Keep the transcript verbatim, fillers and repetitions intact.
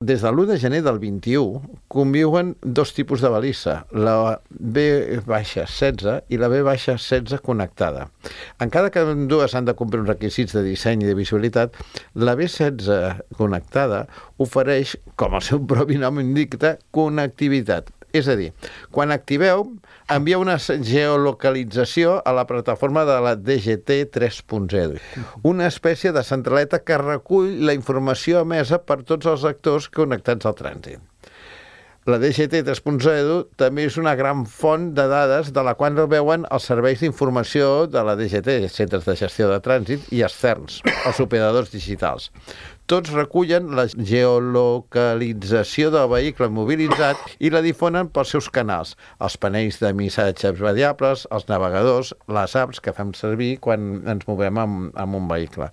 Des de l'u de gener del vint-i-u conviuen dos tipus de balissa, la B setze i la B setze connectada. Encara que dues han de complir uns requisits de disseny i de visibilitat, la B setze connectada ofereix, com el seu propi nom indica, connectivitat. És a dir, quan activeu, envia una geolocalització a la plataforma de la D G T tres punt zero, una espècie de centraleta que recull la informació emesa per tots els actors connectats al trànsit. La D G T tres punt zero també és una gran font de dades de la qual veuen els serveis d'informació de la D G T, centres de gestió de trànsit, i externs, els operadors digitals. Tots recullen la geolocalització del vehicle mobilitzat i la difonen pels seus canals, els panells de missatges variables, els navegadors, les apps que fem servir quan ens movem amb, amb un vehicle.